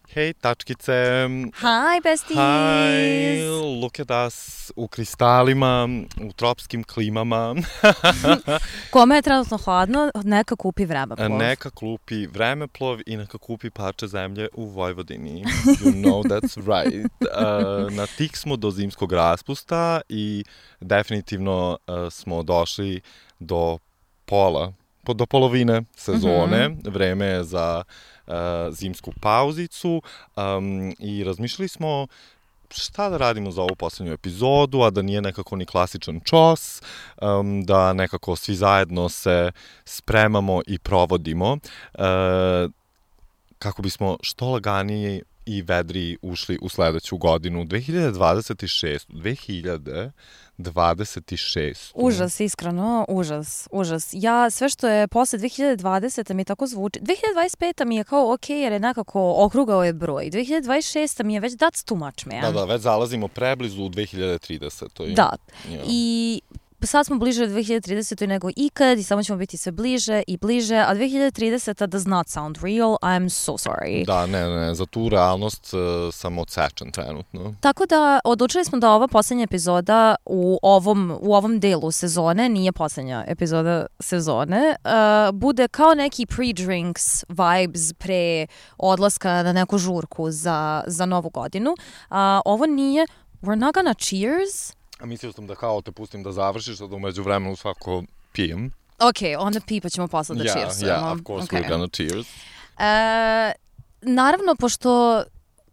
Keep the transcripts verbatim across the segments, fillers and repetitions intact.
Hej, tačkice. Hi, besties. Hi, look at us u kristalima, u tropskim klimama. Kome je trenutno hladno, neka kupi vremeplov. Neka kupi vremeplov i neka kupi parče zemlje u Vojvodini. You know that's right. Uh, na tik smo do zimskog raspusta i definitivno uh, smo došli do pola, do polovine sezone. Mm-hmm. Vreme je za uh, zimsku pauzicu um, i razmišljali smo šta da radimo za ovu poslednju epizodu, a da nije nekako ni klasičan čos, um, da nekako svi zajedno se spremamo i provodimo uh, kako bismo što laganije i vedriji ušli u sledeću godinu, dve hiljade dvadeset šeste. dve hiljade dvadeset šeste. Užas, iskreno, užas, užas. Ja, sve što je posle dve hiljade dvadesete mi tako zvuči. dve hiljade dvadeset peta mi je kao ok, jer je nekako okrugao je broj. dve hiljade dvadeset šesta mi je već that's too much, man. Da, da, već zalazimo preblizu u dve hiljade tridesete. Da, yeah. I sad smo bliže dve hiljade tridesetoj nego ikad i samo ćemo biti sve bliže i bliže, a dve hiljade trideseta does not sound real, I'm so sorry. Da, ne, ne, za tu realnost uh, sam odsečen trenutno. Tako da, odlučili smo da ova poslednja epizoda u ovom, u ovom delu sezone, nije poslednja epizoda sezone, uh, bude kao neki pre-drinks vibes pre odlaska na neku žurku za, za novu godinu. Uh, ovo nije, we're not gonna cheers. A mislio sam da kao te pustim da završiš, da umeđu vremenu svako pijem. Ok, onda pipa ćemo posle da yeah, cheersujemo. Yeah, of course okay. We're gonna cheers. E, naravno, pošto,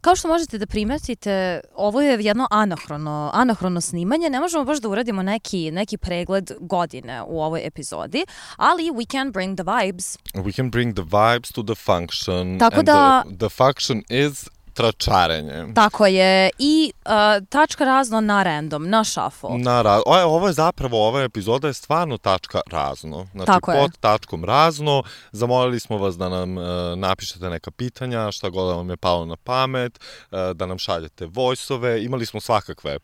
kao što možete da primetite, ovo je jedno anahrono, anahrono snimanje, ne možemo baš da uradimo neki, neki pregled godine u ovoj epizodi, ali we can bring the vibes. We can bring the vibes to the function. Tako and da... The, the function is... tračarenje. Tako je. I uh, tačka razno na random, na shuffle. Na ra- o, ovo je zapravo, ova epizoda je stvarno tačka razno. Znači, Tako pod je. tačkom razno. Zamolili smo vas da nam uh, napišete neka pitanja, šta god vam je palo na pamet, uh, da nam šaljete voice-ove. Imali smo svakakve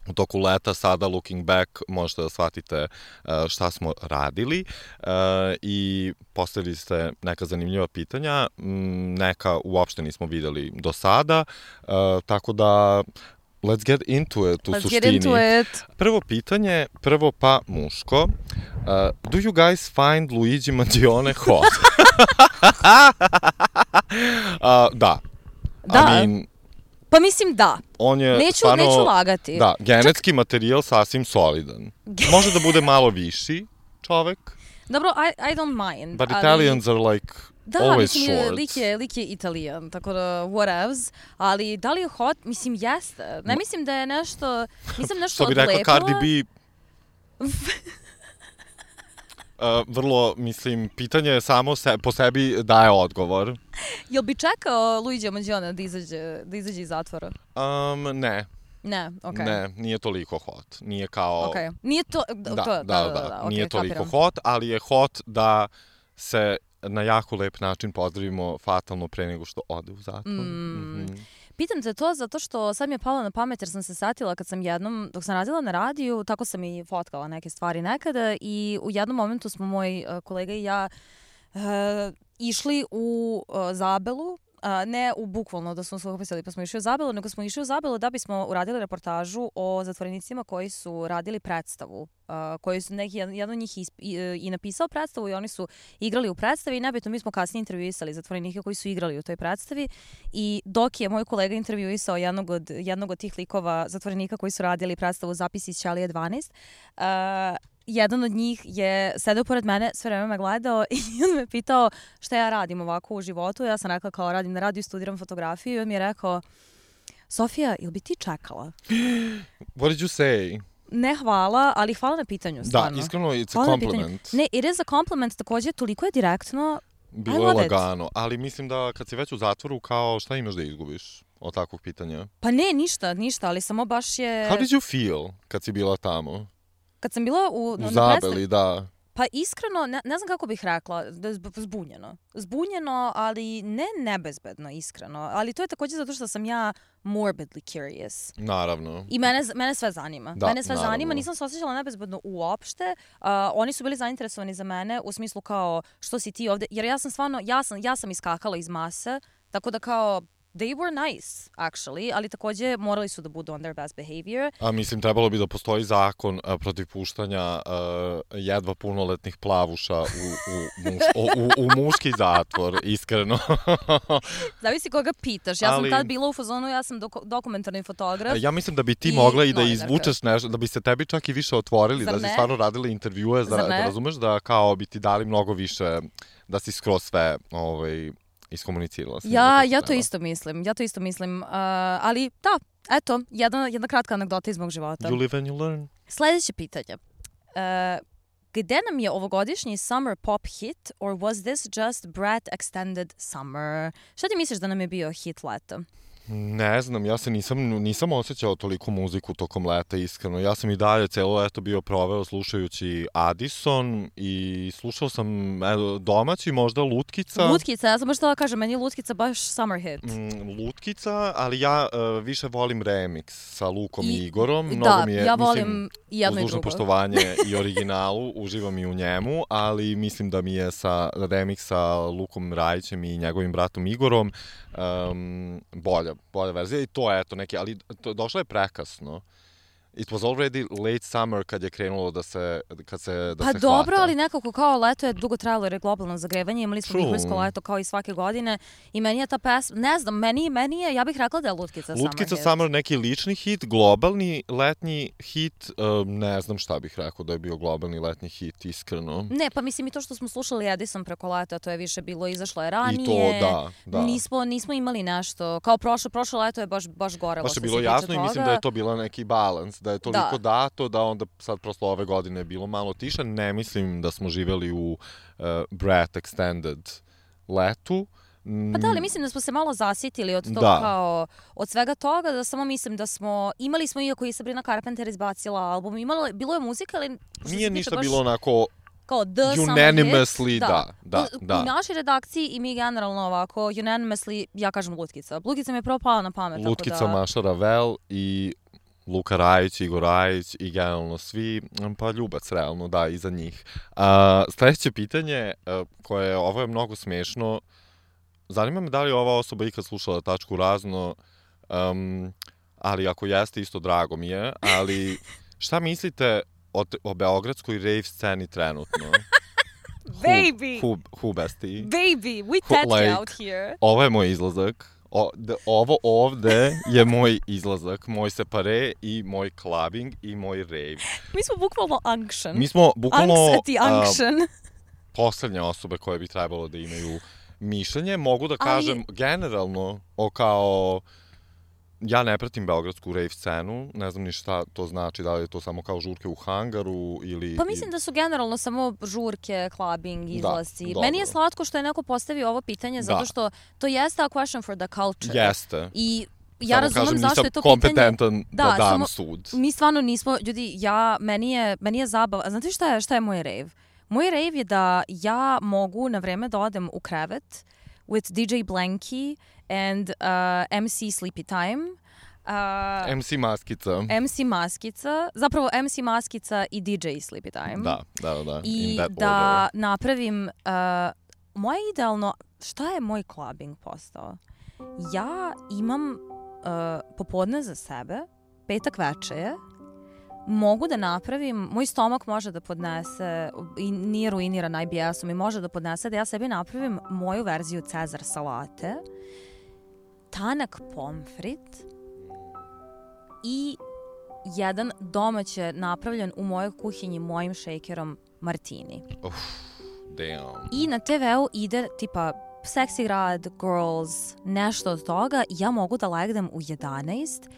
u toku leta, sada looking back možete da shvatite uh, šta smo radili uh, i postavili ste neka zanimljiva pitanja, m, neka uopšte nismo videli do sada, uh, tako da let's get into it u let's suštini. Get into it. Prvo pitanje, prvo pa muško. Uh, do you guys find Luigi Mangione hot? uh, da. Da. I mean, pa mislim da. On je neću, stvarno, neću lagati. Da, genetski Čak... materijal sasvim solidan. Može da bude malo viši čovek. Dobro, I, I don't mind. But ali... Italians are like da, always mislim, short. Da, lik je, lik je Italijan, tako da whatevs. Ali da li je hot? Mislim, jeste. Ne mislim da je nešto, nisam nešto odlepila. Što bi rekla Cardi B... Uh, vrlo, mislim, pitanje samo se, po sebi daje odgovor. Jel bi čekao Luigi Mangione da izađe, da izađe iz zatvora? Um, ne. Ne, okej. Okay. Ne, nije toliko hot. Nije kao... Okej. Okay. Nije to... Da, to, da, da, da, da, da. Nije okay, toliko kapiram. hot, ali je hot da se na jako lep način pozdravimo fatalno pre nego što ode u zatvor. Mm. Mm-hmm. Pitam te to zato što sad mi je palo na pamet jer sam se satila kad sam jednom, dok sam radila na radiju, tako sam i fotkala neke stvari nekada i u jednom momentu smo moj uh, kolega i ja uh, išli u uh, Zabelu, uh, ne u bukvalno da smo se upisali pa smo išli u Zabelu, nego smo išli u Zabelu da bismo uradili reportažu o zatvorenicima koji su radili predstavu, uh, koji su neki, jedan od njih isp, i, i napisao predstavu i oni su igrali u predstavi i nebitno mi smo kasnije intervjuisali zatvorenike koji su igrali u toj predstavi i dok je moj kolega intervjuisao jednog od, jednog od tih likova zatvorenika koji su radili predstavu Zapisi iz Ćalije dvanaest, uh, jedan od njih je sedeo pored mene, sve vreme me gledao i on me pitao šta ja radim ovako u životu. Ja sam rekla kao radim na radiju, studiram fotografiju i on mi je rekao Sofija, ili bi ti čekala? What did you say? Ne hvala, ali hvala na pitanju, stvarno. Da, iskreno, it's hvala a compliment. Ne, it is a compliment, takođe, toliko je direktno. Bilo je lagano, ali mislim da kad si već u zatvoru, kao šta imaš da izgubiš od takvog pitanja? Pa ne, ništa, ništa, ali samo baš je... How did you feel kad si bila tamo? Kad sam bila u... U Zabeli, da. Pa iskreno, ne, ne znam kako bih rekla, zbunjeno. Zbunjeno, ali ne nebezbedno, iskreno. Ali to je takođe zato što sam ja morbidly curious. Naravno. I mene, mene sve zanima. Da, mene sve naravno. zanima, nisam se osjećala nebezbedno uopšte. Uh, oni su bili zainteresovani za mene u smislu kao što si ti ovde, jer ja sam stvarno, ja sam, ja sam iskakala iz mase, tako da kao they were nice, actually, ali takođe morali su da budu on their best behavior. A mislim, trebalo bi da postoji zakon a, protiv puštanja a, jedva punoletnih plavuša u, u, muš, o, u, u muški zatvor, iskreno. Zavisi koga pitaš. Ja ali, sam tad bila u fazonu, ja sam dok, dokumentarni fotograf. Ja mislim da bi ti mogla i da novinarka. izvučeš nešto, da bi se tebi čak i više otvorili, Zar da si ne? stvarno radila intervjue, da, da razumeš da kao bi ti dali mnogo više, da si skroz sve ovaj, iskomunicirala. Ja, ja to isto mislim, ja to isto mislim, uh, ali da, eto, jedna, jedna kratka anegdota iz mog života. You live and you learn. Sljedeće pitanje. Uh, gde nam je ovogodišnji summer pop hit, or was this just Brat Extended Summer? Šta ti misliš da nam je bio hit leta? Ne znam, ja se nisam, nisam osjećao toliko muziku tokom leta, iskreno. Ja sam i dalje celo leto bio proveo slušajući Addison i slušao sam evo, domaći, možda Lutkica. Lutkica, ja sam baš htjela kažem, meni je Lutkica baš summer hit. Mm, Lutkica, ali ja uh, više volim remix sa Lukom i, i Igorom. Mnogo da, mi je, ja volim mislim, i jedno i uz dužno drugo. poštovanje i originalu, uživam i u njemu, ali mislim da mi je sa remix sa Lukom Rajićem i njegovim bratom Igorom um, bolja. bolja verzija i to je eto neki, ali to, došlo je prekasno. It was already late summer kad je krenulo da se, kad se, da pa se hvata. Pa dobro, ali nekako kao leto je dugo trajalo jer je globalno zagrevanje, imali smo vihorsko leto kao i svake godine i meni je ta pesma, ne znam, meni, meni je, ja bih rekla da je Lutkica summer Lutkica hit. Summer neki lični hit, globalni letnji hit, um, ne znam šta bih rekao da je bio globalni letnji hit, iskreno. Ne, pa mislim i to što smo slušali Edison preko leta, to je više bilo, izašlo je ranije. I to, da, da. Nismo, nismo imali nešto, kao prošlo, prošlo leto je baš, baš gorelo. Baš je bilo jasno i mislim da je to bila neki balans, da je toliko da. dato da onda sad prosto ove godine je bilo malo tiše. Ne mislim da smo živjeli u uh, Brat Extended letu. Pa da, ali mislim da smo se malo zasjetili od toga da. kao, od svega toga, da samo mislim da smo, imali smo iako i Sabrina Carpenter izbacila album, imalo, bilo je muzika, ali... Nije ništa baš, bilo onako... Kao the unanimously, da. da, da, u, da. U našoj redakciji i mi generalno ovako, unanimously, ja kažem Lutkica. Lutkica mi je prvo pala na pamet. Lutkica, tako da... Maša Ravel i Luka Rajić, Igor Rajić i generalno svi, pa ljubac realno, da, iza njih. A, sljedeće pitanje, koje ovo je mnogo smiješno, zanima me da li ova osoba ikad slušala Tačku razno, um, ali ako jeste, isto drago mi je, ali šta mislite o, o beogradskoj rave sceni trenutno? Baby! Who, who, who bestie? Baby, we tatty like, out here. Ovo je moj izlazak. O, de, ovo ovde je moj izlazak, moj separe i moj clubbing i moj rave. Mi smo bukvalno unction. Mi smo bukvalno unction. Uh, poslednje osobe koje bi trebalo da imaju mišljenje. Mogu da kažem ali... generalno o kao... Ja ne pratim beogradsku rave scenu, ne znam ni šta to znači, da li je to samo kao žurke u hangaru ili... Pa mislim da su generalno samo žurke, clubbing, izlasci. Da, meni je slatko što je neko postavio ovo pitanje, zato da. Što to jeste a question for the culture. Jeste. I ja samo razumem kažem, zašto je to kompetentan pitanje... da, da dam samo, sud. Mi stvarno nismo, ljudi, ja, meni je, meni je zabava. Znate šta je, šta je moj rave? Moj rave je da ja mogu na vreme da odem u krevet with D J Blanky and uh, M C Sleepy Time. Uh, M C Maskica. M C Maskica. Zapravo M C Maskica i D J Sleepy Time. Da, da, da. I in that da order. napravim... Uh, moje idealno... Šta je moj clubbing postao? Ja imam uh, popodne za sebe, petak veče je, mogu da napravim, moj stomak može da podnese, i nije ruiniran I B S-om, i može da podnese da ja sebi napravim moju verziju Cezar salate, tanak pomfrit i jedan domaće napravljen u mojoj kuhinji mojim šejkerom martini. Uf, damn. I na te veu ide tipa Seksi grad, Girls, nešto od toga, ja mogu da legnem u jedanaest.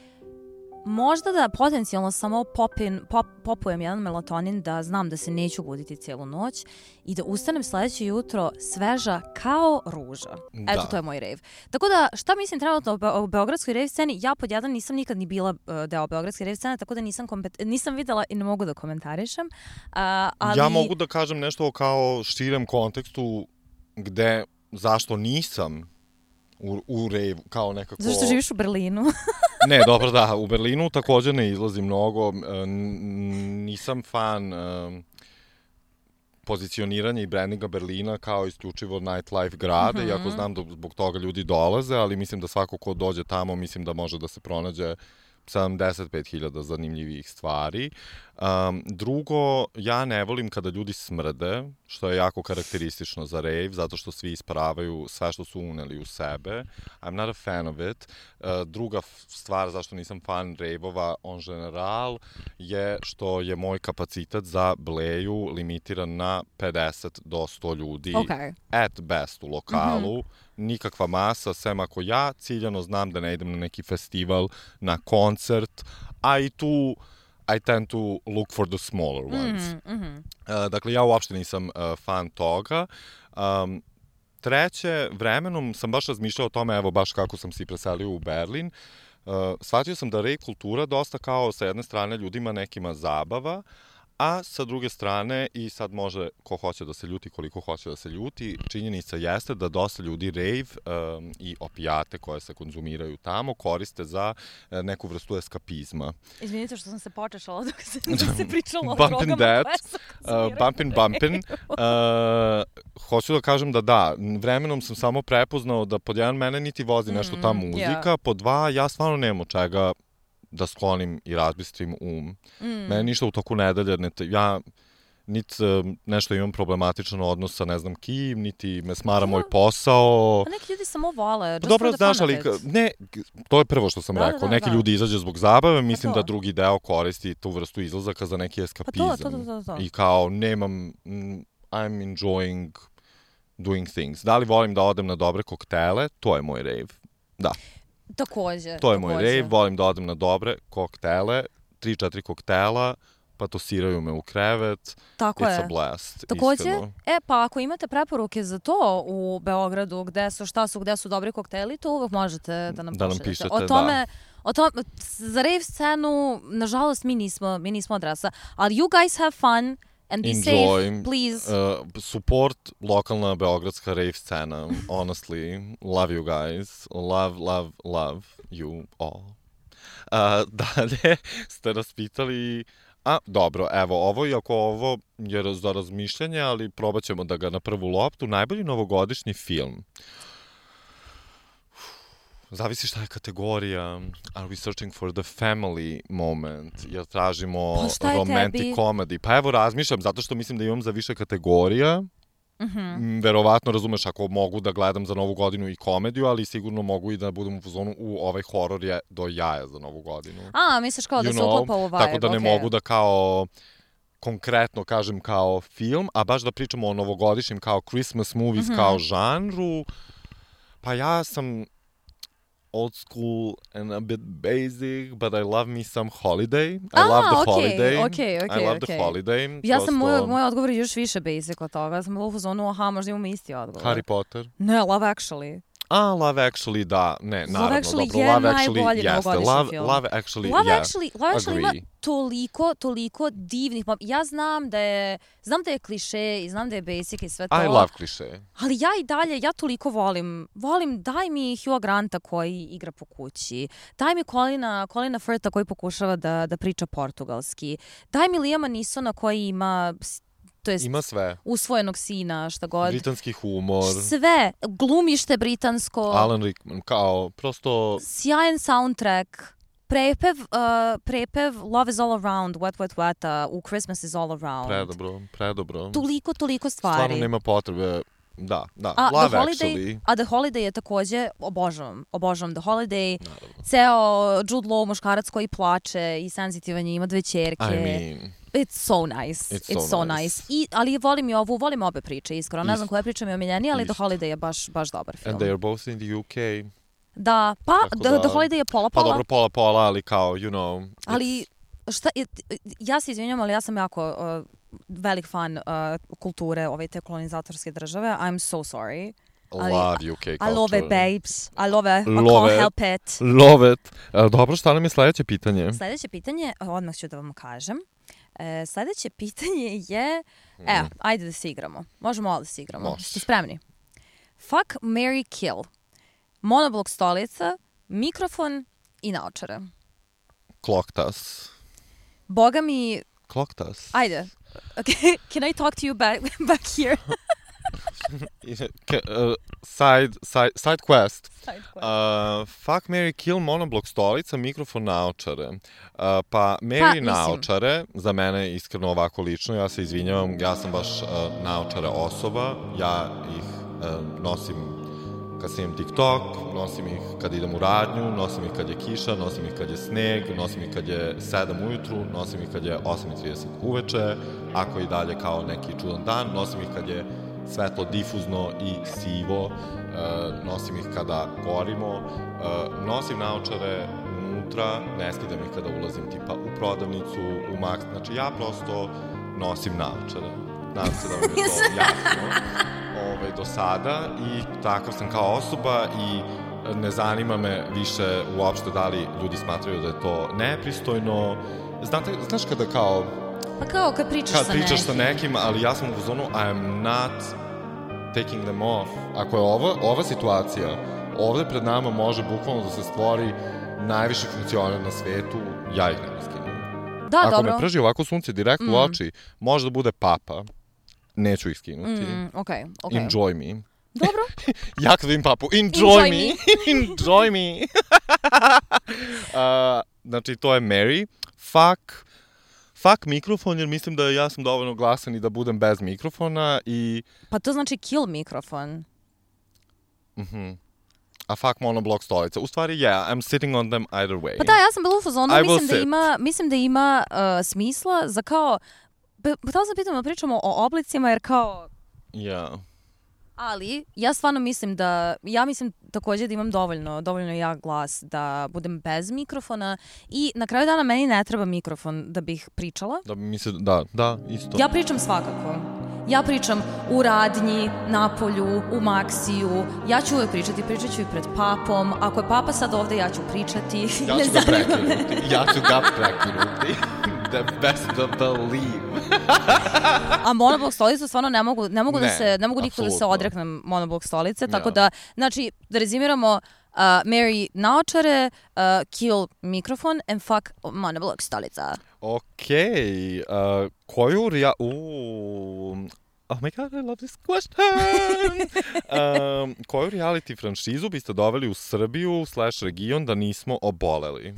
Možda da potencijalno samo popin, pop, popujem jedan melatonin da znam da se neću buditi cijelu noć i da ustanem sljedeće jutro sveža kao ruža. Da. Eto, to je moj rave. Tako da, šta mislim trenutno o, be- o beogradskoj rave sceni? Ja pod jedan nisam nikad ni bila uh, deo beogradske rave scene, tako da nisam, kompet- nisam videla i ne mogu da komentarišem. Uh, ali... Ja mogu da kažem nešto kao širem kontekstu gde, zašto nisam u, u rave, kao nekako... Zašto živiš u Berlinu? Ne, dobro, da, u Berlinu također ne izlazi mnogo, nisam fan pozicioniranje i brandinga Berlina kao isključivo nightlife grade, mm-hmm. iako znam da zbog toga ljudi dolaze, ali mislim da svako ko dođe tamo, mislim da može da se pronađe sedamdeset pet hiljada zanimljivih stvari. Um, drugo, ja ne volim kada ljudi smrde, što je jako karakteristično za rave, zato što svi isparavaju sve što su uneli u sebe. I'm not a fan of it. Uh, druga stvar zašto nisam fan rave-ova on general je što je moj kapacitet za bleju limitiran na pedeset do sto ljudi. Okay. At best u lokalu. Mm-hmm. Nikakva masa, sem ako ja ciljano znam da ne idem na neki festival, na koncert, a i tu I tend to look for the smaller ones. Mm-hmm. Uh, dakle, ja uopšte nisam uh, fan toga. Um, treće, vremenom sam baš razmišljao o tome, evo baš kako sam se preselio u Berlin. Uh, shvatio sam da rave kultura dosta kao sa jedne strane ljudima nekima zabava, a sa druge strane, i sad može ko hoće da se ljuti, koliko hoće da se ljuti, činjenica jeste da dosta ljudi rave um, i opijate koje se konzumiraju tamo koriste za uh, neku vrstu eskapizma. Izvinite što sam se počešala dok se, dok se pričalo o drogama koje se konzumiraju. Uh, bumpin' bumpin'. Uh, hoću da kažem da da, vremenom sam samo prepoznao da pod jedan mene niti vozi nešto ta muzika, mm, yeah. pod dva ja stvarno nemam od čega da sklonim i razbistrim um. Mm. Mene ništa u toku nedelje, ne, ja niti nešto imam problematičan odnos sa ne znam kim, niti me smara no. moj posao. Pa neki ljudi samo vole. Pa dobro, znaš, ali ne, to je prvo što sam da, rekao. Da, da, neki da. ljudi izađe zbog zabave, mislim da drugi deo koristi tu vrstu izlazaka za neki eskapizam. Pa to, to, to, to. I kao, nemam, I'm enjoying doing things. Da li volim da odem na dobre koktele? To je moj rave. Da. Takođe. To je takođe. moj rave, volim da odem na dobre koktele, tri četiri koktela, pa tosiraju me u krevet. Tako It's je. a blast, Takođe, iskreno. E, pa ako imate preporuke za to u Beogradu, gde su, šta su, gde su dobri kokteli, to uvek možete da nam da pošaljete. Nam pišete, o tome, da. O tome, za rave scenu, nažalost, mi nismo, mi nismo adresa, ali you guys have fun. And be Enjoy, safe, please. Uh, support lokalna beogradska rave scena. Honestly, love you guys. Love, love, love you all. Uh, dalje ste nas pitali... A, dobro, evo, ovo, iako ovo je za razmišljanje, ali probat ćemo da ga na prvu loptu. Najbolji novogodišnji film. Zavisi šta je kategorija. Are we searching for the family moment? Jer tražimo pa romantic tebi? comedy. Pa evo razmišljam, zato što mislim da imam za više kategorija. Mm-hmm. Verovatno, razumeš, ako mogu da gledam za Novu godinu i komediju, ali sigurno mogu i da budem u fazonu u ovaj horor je do jaja za Novu godinu. A, misliš kao you da se know? uklapa u vibe, Tako da ne okay. mogu da kao... konkretno kažem kao film, a baš da pričamo o novogodišnjim kao Christmas movies, mm-hmm. kao žanru. Pa ja sam... old school and a bit basic, but I love me some holiday. I ah, love the okay, holiday. Okay, okay, I love okay. the holiday. Ja Prosto... sam, moj, moj odgovor je još više basic od toga. Ja sam bila u fazonu, aha, možda imamo isti odgovor. Harry Potter? Ne, Love Actually. A, Love Actually, da, ne, naravno, Love Actually dobro, je Love Actually jeste. Love, film. Love Actually, Love yeah, Actually, Love Actually agree. ima toliko, toliko divnih, ja znam da je, znam da je kliše i znam da je basic i sve to. I love kliše. Ali ja i dalje, ja toliko volim, volim, daj mi Hugh Granta koji igra po kući, daj mi Colina, Colina Firtha koji pokušava da, da priča portugalski, daj mi Liama Neesona koji ima... To jest ima sve. Usvojenog sina, šta god. Britanski humor. Sve. Glumište britansko. Alan Rickman, kao, prosto... Sjajan soundtrack. Prepev, uh, prepev Love is all around, Wet, Wet, Weta, u Christmas is all around. Predobro, predobro. Toliko, toliko stvari. Stvarno nema potrebe. Da, da. A, Love The Holiday, Actually. A The Holiday je takođe, obožavam, obožavam The Holiday. Naravno. Ceo Jude Law, muškarac koji plače i senzitivan je, ima dve ćerke. I mean... It's so nice. It's, It's so, so nice. nice. I, ali volim i ovu, volim obe priče, iskreno. Ne znam koja priča mi je omiljenija, ali Isto. The Holiday je baš, baš dobar film. And they are both in the U K. Da, pa the, da, the Holiday je pola-pola. Pa dobro, pola-pola, ali kao, you know... Ali, šta, ja se izvinjam, ali ja sam jako uh, velik fan uh, kulture ove te kolonizatorske države. I'm so sorry. Ali, love U K culture. I love it, babes. I love it. I love can't it. help it. Love it. E, dobro, šta nam je sledeće pitanje? Sledeće pitanje, odmah ću da vam kažem. E, sledeće pitanje je... Mm. Evo, ajde da se igramo. Možemo ovo da se igramo. Može. Ste spremni? Fuck, marry, kill. Monoblok stolica, mikrofon i naočare. Kloktas. Boga mi... Kloktas. Ajde. Okay, can I talk to you back back here? uh, side, side, side quest. Side quest. Uh, fuck, Mary, kill, monoblok, stolica, mikrofon, naočare. Uh, pa, Mary, pa, naočare, za mene iskreno ovako lično, ja se izvinjavam, ja sam baš uh, naočare osoba, ja ih uh, nosim kad snimam TikTok, nosim ih kad idem u radnju, nosim ih kad je kiša, nosim ih kad je sneg, nosim ih kad je sedam ujutru, nosim ih kad je osam i trideset uveče, ako i dalje kao neki čudan dan, nosim ih kad je svetlo difuzno i sivo, uh, nosim ih kada gorimo, uh, nosim naočare unutra, ne skidam ih kada ulazim tipa u prodavnicu, u Max, znači ja prosto nosim naočare. Nadam se da vam je to jasno ovaj, do sada i takav sam kao osoba i ne zanima me više uopšte da li ljudi smatraju da je to nepristojno. Znate, znaš kada kao Pa kao kad pričaš kad sa pričaš nekim. sa nekim, ali ja sam u zonu I am not taking them off. Ako je ova, ova situacija, ovde pred nama može bukvalno da se stvori najviši funkcioner na svetu, ja ih ne skinem. Da, Ako dobro. me prži ovako sunce direkt mm. u oči, može da bude papa. Neću ih skinuti. Mm, okej, okej. Enjoy me. Dobro. Ja kad vidim papu, enjoy, Enjoy me. Enjoy me. uh, znači, to je Mary. Fuck. Fuck mikrofon, jer mislim da ja sam dovoljno glasan i da budem bez mikrofona i... Pa to znači kill mikrofon. Mhm. A fuck monoblok stolica. U stvari, yeah, I'm sitting on them either way. Pa da, ja sam bila u fazonu, I mislim will da, sit. ima, mislim da ima uh, smisla za kao... Htela sam pitam da pričamo o oblicima, jer kao... Yeah. Ali, ja stvarno mislim da, ja mislim takođe da imam dovoljno, dovoljno jak glas da budem bez mikrofona i na kraju dana meni ne treba mikrofon da bih pričala. Da mi se, da, da, isto. Ja pričam svakako. Ja pričam u radnji, na polju, u Maksiju. Ja ću uvek pričati, pričat ću i pred papom. Ako je papa sad ovde, ja ću pričati. Ja ću ga prekinuti. Ja ću ga prekinuti. The best to believe. A monoblok stolicu stvarno ne mogu, ne mogu ne, da se, ne mogu nikako da se apsolutno. odreknem monoblok stolice, tako Ja. da, znači, da rezimiramo, uh, Mary naočare, uh, kill mikrofon and fuck monoblok stolica. Okej, okay, uh, koju rija... Uuu... Oh my god, I love this question! um, koju reality franšizu biste doveli u Srbiju slash region da nismo oboleli?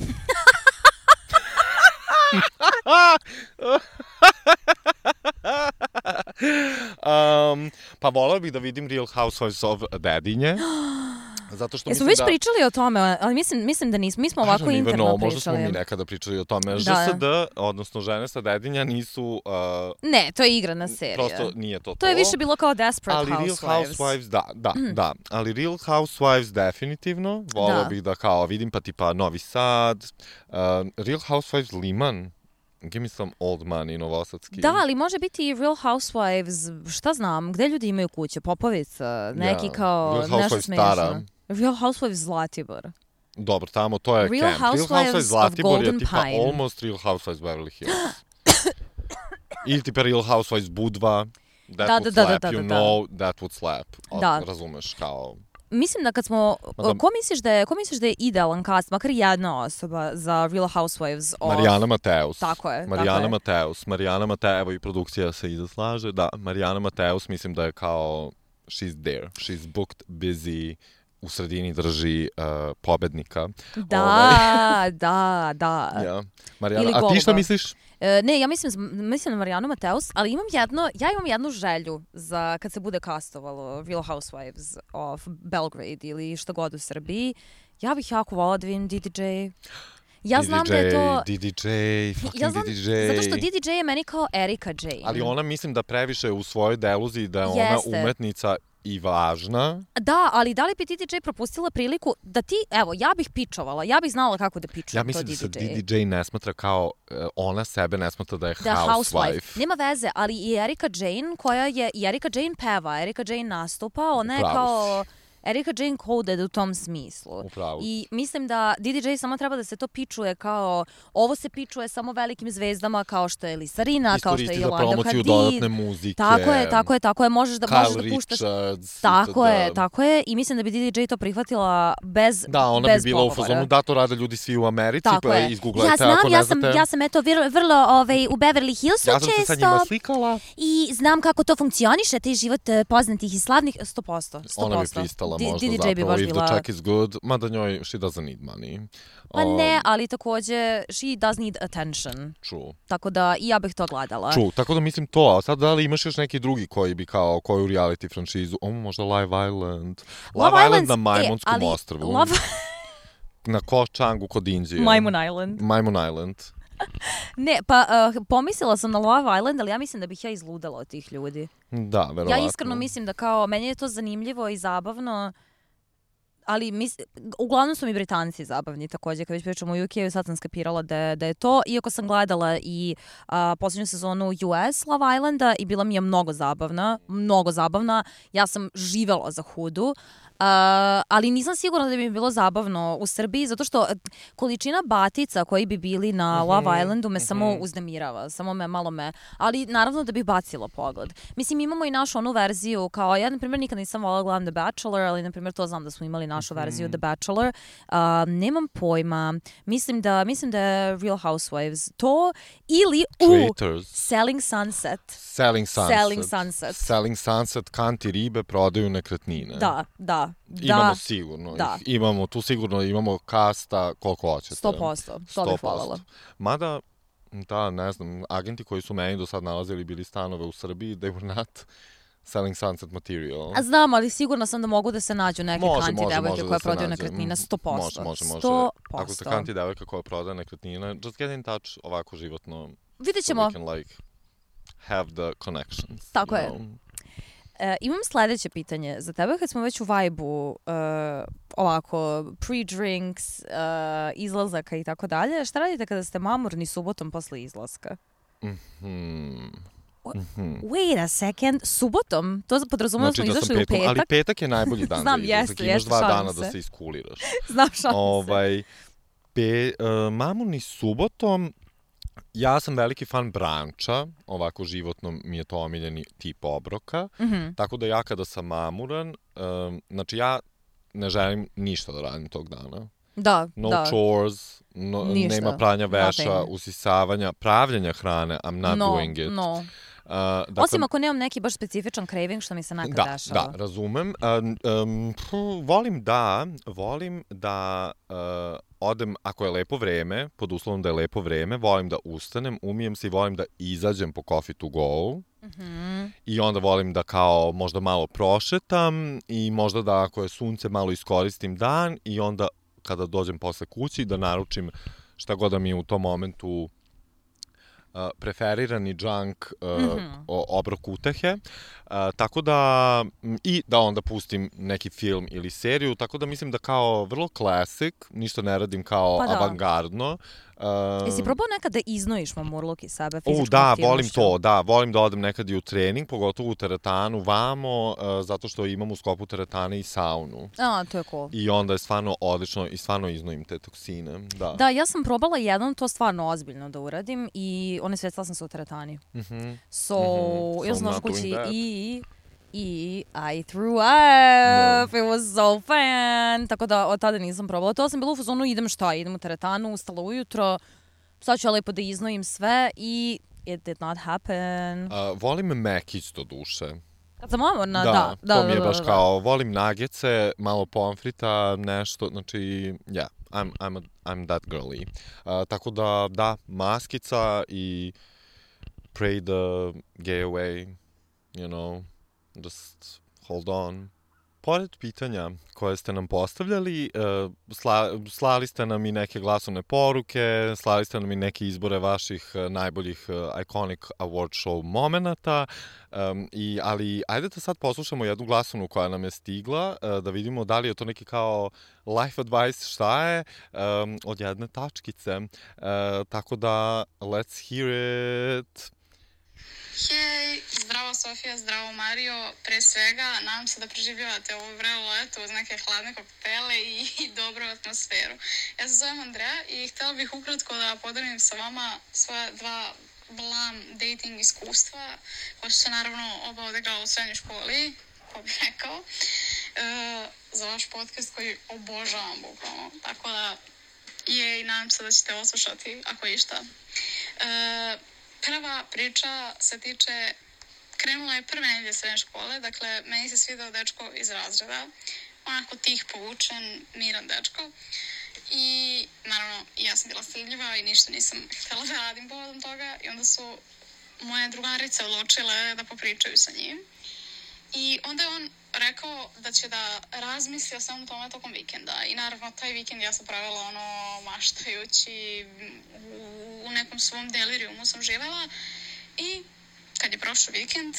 um, pa volao bih da vidim Real Housewives of Dedinje. Zato što Jesmo mislim već da... pričali o tome, ali mislim, mislim da nismo. Mi smo ovako interno no, pričali. možda smo mi nekada pričali o tome. Da. Ž S D, odnosno Žene sa Dedinja, nisu... Uh, Ne, to je igrana serija. prosto nije to to. To je više bilo kao Desperate ali Housewives. Real Housewives, da, da, mm. da. Ali Real Housewives definitivno. Volao Da. bih da kao vidim pa tipa Novi Sad. Uh, Real Housewives Liman. Give me some old money, novosadski. Da, ali može biti i Real Housewives, šta znam, gde ljudi imaju kuće, Popovica, neki Ja. kao Real nešto Housewives smešno. Stara. Real Housewives Zlatibor. Dobro, tamo to je Real camp. Real Housewives Housewives of Zlatibor je Golden tipa Pine. almost Real Housewives Beverly Hills. Ili tipa Real Housewives Budva. That Da, would da, da, slap, da, da, you da. know, that would slap. O, Da. Razumeš, kao... Mislim da kad smo, Madam- ko misliš da je, ko misliš da je idealan cast, makar jedna osoba za Real Housewives of... Marijana Mateus. Tako je, Marijana tako je. Mateus. Marijana Mateus, evo i produkcija se iza slaže. Da, Marijana Mateus mislim da je kao she's there. She's booked, busy, u sredini drži uh, pobednika. Da, Ovaj, da, da. ja. Marijana, Ili a ti šta Goluba. misliš? E, ne, ja mislim, mislim na Marijanu Mateus, ali imam jedno, ja imam jednu želju za kad se bude kastovalo Real Housewives of Belgrade ili šta god u Srbiji. Ja bih jako volila da vidim D D J. Ja znam da je to... D D J, fucking Ja znam, D D J. zato što D D J je meni kao Erika Jane. Ali ona mislim da previše u svojoj deluziji da je Jeste. ona umetnica i važna. Da, ali da li bi D D J propustila priliku da ti, evo, ja bih pičovala, ja bih znala kako da pičujem Ja to mislim da D se D J. D D J ne smatra kao, uh, ona sebe ne smatra da je Da je housewife. housewife. Nema veze, ali i Erika Jane koja je, i Erika Jane peva, Erika Jane nastupa, ona je Pravo kao... Erika Jane coded u tom smislu. Upravo. I mislim da D D J samo treba da se to pičuje kao, ovo se pičuje samo velikim zvezdama kao što je Lisa Rinna, kao što je Yolanda Hadid. Iskoristi za promociju dodatne muzike. Tako je, tako je, tako je, možeš da, Kyle možeš da puštaš. Richards. Tako da... je, tako je i mislim da bi D D J to prihvatila bez Da, ona bez bi bila pogovora. u fazonu, da to rade ljudi svi u Americi, tako pa je. izgooglajte ja znam, ako ne ja sam, znate. ja sam eto vrlo, vrlo ovaj, u Beverly Hillsu Ja sam često. se sa njima slikala. I znam kako to funkcioniše, taj život eh, poznatih i slavnih, sto posto. Ona bi pristala D- možda D D J zapravo, bi baš if bila... the check is good, mada njoj she doesn't need money. Pa Um, ne, ali takođe she does need attention. True. Tako da i ja bih to gledala. True, tako da mislim to, a sad da li imaš još neki drugi koji bi kao koju reality franšizu, o možda Live Island. Live, Love Island na Island's- Majmunskom e, ali ostrvu. Love... Na Ko Changu kod Indije. Majmun Island. Majmun Island. Ne, pa uh, pomislila sam na Love Island, ali ja mislim da bih ja izludala od tih ljudi. Da, verovatno. Ja iskreno mislim da kao, meni je to zanimljivo i zabavno, ali mis, uglavnom su mi Britanci zabavni takođe, kad već pričamo u U K-u, sad sam skapirala da, da je to, iako sam gledala i a, posljednju sezonu U S Love Islanda i bila mi je mnogo zabavna, mnogo zabavna, ja sam živela za Hudu, Uh, ali nisam sigurna da bi mi bilo zabavno u Srbiji, zato što količina batica koji bi bili na Mm-hmm, Love Islandu me mm-hmm. samo uznemirava, samo me malo me, ali naravno da bih bacila pogled. Mislim, imamo i našu onu verziju, kao ja, na primjer, nikad nisam volila gledam The Bachelor, ali, na primjer, to znam da smo imali našu Mm-hmm. verziju The Bachelor. Uh, nemam pojma, mislim da, mislim da je Real Housewives to, ili u Traitors. Selling Sunset. Selling Sunset. Selling Sunset. Selling Sunset, kanti ribe prodaju nekretnine. Da, da. Imamo Da, sigurno. da. Ih. Imamo, tu sigurno imamo kasta koliko hoćete. sto posto. To bih voljela. Mada, da, ne znam, agenti koji su meni do sad nalazili bili stanove u Srbiji, they were not selling Sunset material. A znam, ali sigurno sam da mogu da se nađu neke Može, kanti može, devojke može da koje se prodaju nađe. nekretnine, sto posto. Može, može, može. sto Ako ste posto. kanti devojka koja prodaje nekretnine, just get in touch ovako životno. Vidjet So ćemo. we can like have the connections. Tako you je. know? E, imam sledeće pitanje za tebe, kad smo već u vibe-u uh, ovako pre-drinks, uh, izlazaka i tako dalje. Šta radite kada ste mamurni subotom posle izlaska? Hmm. Mm-hmm. Wait a second, subotom? To podrazumemo Znači da smo da sam izašli u petkom, petak? ali petak je najbolji dan Znam, za izlazak. jeste, Imaš jeste, dva šalim dana se. da se iskuliraš. Znam, šalim se. Ovaj, pe, uh, mamurni subotom, ja sam veliki fan branča, ovako životno mi je to omiljeni tip obroka, Mhm. tako da ja kada sam mamuran, um, znači ja ne želim ništa da radim tog dana. Da, No da. chores, no, Ništa. nema pranja veša, Nothing. usisavanja, pravljenja hrane, I'm not no, doing it. No. Uh, dakle, Osim ako nemam neki baš specifičan craving, što mi se nekad da, dešava. da, razumem. Um, um, pfu, volim da, volim da uh, odem, ako je lepo vreme, pod uslovom da je lepo vreme, volim da ustanem, umijem se i volim da izađem po coffee to go. Mhm. I onda volim da kao možda malo prošetam i možda da ako je sunce malo iskoristim dan i onda kada dođem posle kući da naručim šta god da mi je u tom momentu Uh, preferirani junk uh, Mhm. o- obrok utehe, uh, tako da m, i da onda pustim neki film ili seriju, tako da mislim da kao vrlo classic, ništa ne radim kao Pa da. avangardno. Uh, Jesi probao nekad da iznojiš mamurluk iz sebe U, fizičkom da, aktivnošću? volim to, da, volim da odem nekad i u trening, pogotovo u teretanu, vamo, uh, zato što imam u sklopu teretane i saunu. A, to je cool. I onda je stvarno odlično i stvarno iznojim te toksine, da. Da, ja sam probala jednom to stvarno ozbiljno da uradim i one svecala sam se u teretani. Mhm. So, Mhm. ja So sam došla not doing kući that. i... I I threw up. It was so fun. Tako da od tada nisam probala. To sam bila u fazonu, idem šta, idem u teretanu, ustala ujutro, sad ću ja lepo da iznojim sve i it did not happen. Uh, volim Mekić do duše. Kad sam mamorna, Da, da. Da, to da, mi je da, baš da. kao, volim nagece, malo pomfrita, nešto, znači, yeah, I'm, I'm, a, I'm that girly. Uh, tako da, da, maskica i pray the gay away, you know, just hold on. Pored pitanja koje ste nam postavljali, uh, sla, slali ste nam i neke glasovne poruke, slali ste nam i neke izbore vaših uh, najboljih uh, iconic award show momenata, um, i, ali ajde da sad poslušamo jednu glasovnu koja nam je stigla, uh, da vidimo da li je to neki kao life advice, šta je, um, od jedne tačkice. Uh, tako da, let's hear it. Hej, zdravo Sofija, zdravo Mario. Pre svega, nadam se da preživljavate ovo vrelo leto uz neke hladne koktele i, i dobru atmosferu. Ja se zovem Andreja i htjela bih ukratko da podelim sa vama svoja dva blam dating iskustva, koja su se naravno oba odigrala u srednjoj školi, ko bih rekao, e, za vaš podcast koji obožavam bukvalno. Tako da, je i nadam se da ćete oslušati ako je išta. E, Prva priča se tiče, krenula je prve nedelje srednje škole, dakle, meni se svidao dečko iz razreda, onako tih, povučen, miran dečko. I, naravno, ja sam bila stidljiva i ništa nisam htjela da radim povodom toga. I onda su moje drugarice odlučile da popričaju sa njim. I onda je on rekao da će da razmisli o samom tome tokom vikenda. I naravno, taj vikend ja sam pravila ono maštajući, u nekom svom delirijumu sam živela. I kad je prošao vikend,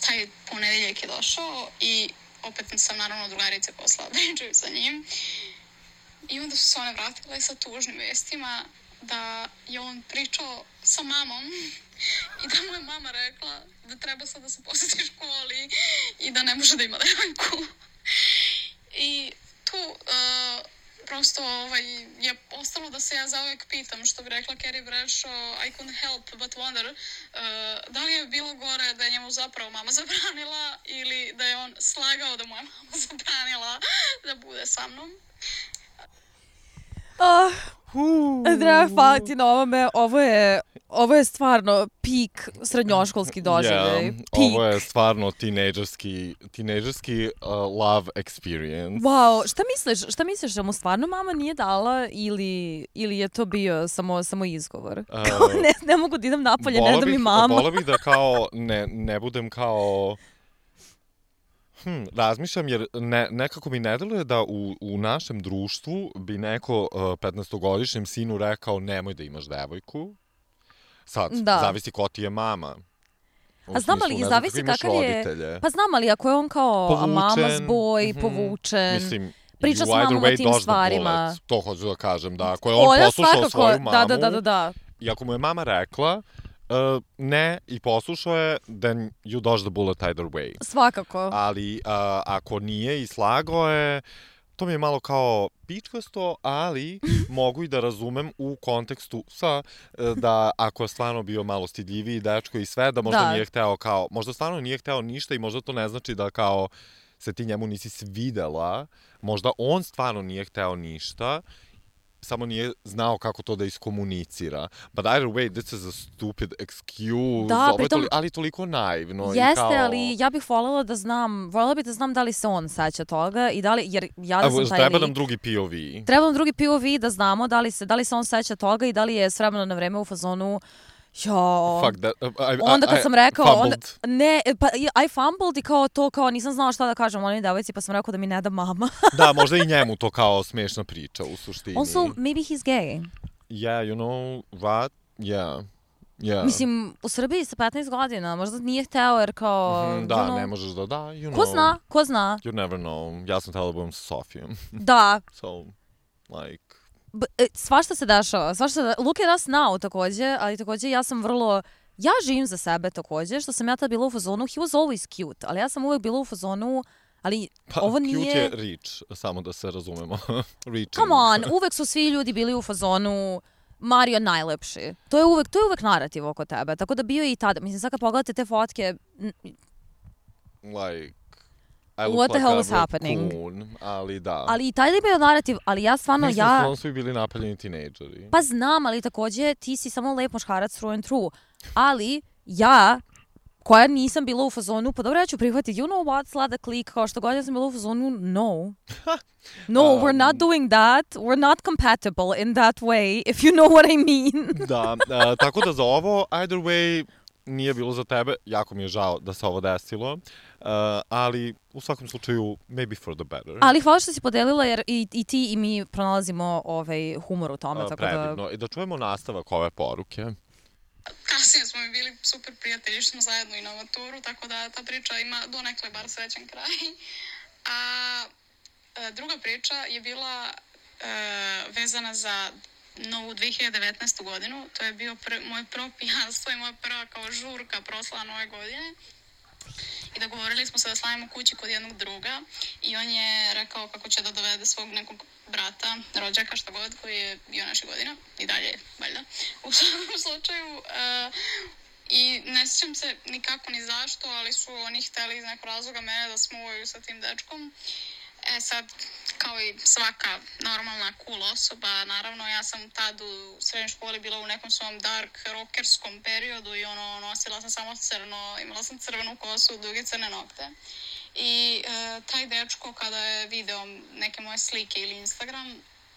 taj ponedeljak je došao i opet sam naravno drugarice poslala pričaju sa njim. I onda su se one vratile sa tužnim vestima da je on pričao sa mamom i da mu je mama rekla da treba sad da se posjeti školi i da ne može da ima devojku. I tu uh, prosto ovaj, je ostalo da se ja zauvek pitam, što bi rekla Carrie Bradshaw, I couldn't help but wonder, uh, da li je bilo gore da je njemu zapravo mama zabranila ili da je on slagao da mu je mama zabranila da bude sa mnom. Oh, Andreja, hvala ti na ovome. Ovo je, ovo je stvarno pik srednjoškolski doživljaj. Yeah, ovo je stvarno tinejdžerski, tinejdžerski uh, love experience. Wow, šta misliš, šta misliš da mu stvarno mama nije dala ili, ili je to bio samo, samo izgovor? Uh, kao ne, ne mogu da idem napolje, ne da mi mama. Vola bih da kao ne, ne budem kao... Hm, razmišljam jer ne, nekako mi ne deluje da u, u našem društvu bi neko uh, petnaestogodišnjem sinu rekao nemoj da imaš devojku. Sad, da. Zavisi ko ti je mama. U A znam smislu, ali, ne zavisi kakav je... roditelje. Pa znam ali, ako je on kao Povučen, mama's boy, mm-hmm. povučen, Mislim, priča s mamom o tim stvarima. To hoću da kažem, da. Ako je on Olja, poslušao svakako, svoju mamu, da, da, da, da, da. I ako mu je mama rekla, Uh, ne, i poslušao je, then you dodge the bullet either way. Svakako. Ali uh, ako nije i slagao je, to mi je malo kao pičkasto, ali mogu i da razumem u kontekstu sa, da ako je stvarno bio malo stidljiviji dečko i sve, da možda da. nije hteo kao, možda stvarno nije hteo ništa i možda to ne znači da kao se ti njemu nisi svidela, možda on stvarno nije hteo ništa, samo nije znao kako to da iskomunicira. But either way, this is a stupid excuse. Da, pritom... Toli, ali toliko naivno. Jeste, i kao... ali ja bih voljela da znam, voljela bih da znam da li se on seća toga i da li, jer ja da sam taj Treba lik. nam drugi P O V. Treba nam drugi P O V da znamo da li se, da li se on seća toga i da li je s vremena na vreme u fazonu jo, Fuck that. I, I, onda kad I, sam rekao, onda, fumbled. ne, pa I fumbled i kao to, kao nisam znala šta da kažem onoj devojci, pa sam rekao da mi ne da mama. Da, možda i njemu to kao smiješna priča u suštini. Also, maybe he's gay. Yeah, you know what? Yeah. Yeah. Mislim, u Srbiji sa petnaest godina, možda nije hteo jer kao... Mm-hmm, da, you know, ne možeš da da, you know. Ko zna, ko zna. You never know. Ja sam htjela da budem sa Sofijom. Da. So, like... B- svašta se dešava, svašta da... Look at us now takođe, ali takođe ja sam vrlo... Ja živim za sebe takođe, što sam ja tad bila u fazonu, he was always cute, ali ja sam uvek bila u fazonu, ali pa, ovo nije... Cute je rich, samo da se razumemo. Come on, uvek su svi ljudi bili u fazonu Mario najlepši. To je uvek, to je uvek narativ oko tebe, tako da bio i tada. Mislim, sad kad pogledate te fotke... Like... I look What the like hell a is happening? raccoon, ali da. Ali i taj je bio narativ, ali ja stvarno, Mislim ja... Mislim da su svi bili napaljeni tinejdžeri. Pa znam, ali takođe ti si samo lep muškarac through and through. Ali ja, koja nisam bila u fazonu, pa dobro, ja ću prihvatiti, you know what, sladak lik, kao što god ja sam bila u fazonu, no. No, um, we're not doing that. We're not compatible in that way, if you know what I mean. Da, uh, tako da za ovo, either way, nije bilo za tebe. Jako mi je žao da se ovo desilo. Uh, ali u svakom slučaju, maybe for the better. Ali hvala što si podelila, jer i, i ti i mi pronalazimo ovaj humor u tome. Uh, tako predivno. da... I da čujemo nastavak ove poruke. Kasnije smo mi bili super prijatelji, išli smo zajedno i na maturu, tako da ta priča ima donekle bar srećan kraj. A druga priča je bila e, vezana za novu dve hiljade devetnaestu godinu. To je bio pr- moje prvo pijanstvo i moja prva kao žurka proslava nove godine. I dogovorili smo se da slavimo kući kod jednog druga i on je rekao kako će da dovede svog nekog brata, rođaka, šta god, koji je bio naše godina i dalje, valjda. U svakom slučaju, uh, i ne sjećam se nikako ni zašto, ali su oni hteli iz nekog razloga mene da smuvaju sa tim dečkom. E sad, kao i svaka normalna cool osoba, naravno ja sam tad u srednjoj školi bila u nekom svom dark rockerskom periodu i ono, nosila sam samo crno, imala sam crvenu kosu, duge crne nokte. I e, taj dečko kada je video neke moje slike ili Instagram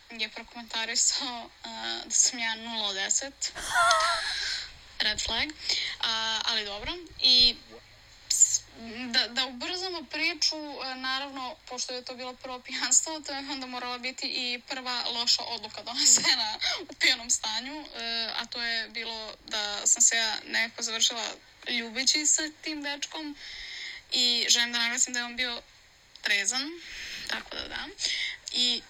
je prokomentarisao e, da sam ja nula od deset. Red flag. A, ali dobro. I Da, da ubrzamo priču, naravno, pošto je to bilo prvo pijanstvo, to je onda morala biti i prva loša odluka donesena u pijanom stanju, a to je bilo da sam se ja nekako završila ljubeći sa tim dečkom i želim da naglasim da je on bio trezan, tako da da. I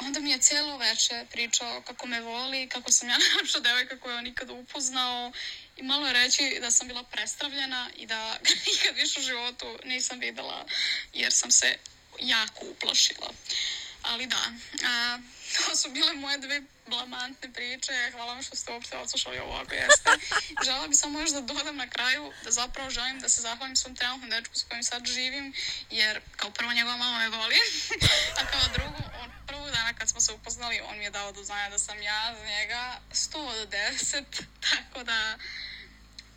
onda mi je cijelo veče pričao kako me voli, kako sam ja najlepša devojka koju je on nikada upoznao i malo je reći da sam bila prestravljena i da nikad više u životu nisam videla jer sam se jako uplašila. Ali da, a, to su bile moje dve blamantne priče. Hvala vam što ste uopšte odslušali ovo ako jeste. Želela bi samo još da dodam na kraju da zapravo želim da se zahvalim svom trenutnom dečku s kojim sad živim, jer kao prvo njegova mama me voli, a kao drugo, on prvog dana kad smo se upoznali, on mi je dao do znanja da sam ja za njega sto od deset, tako da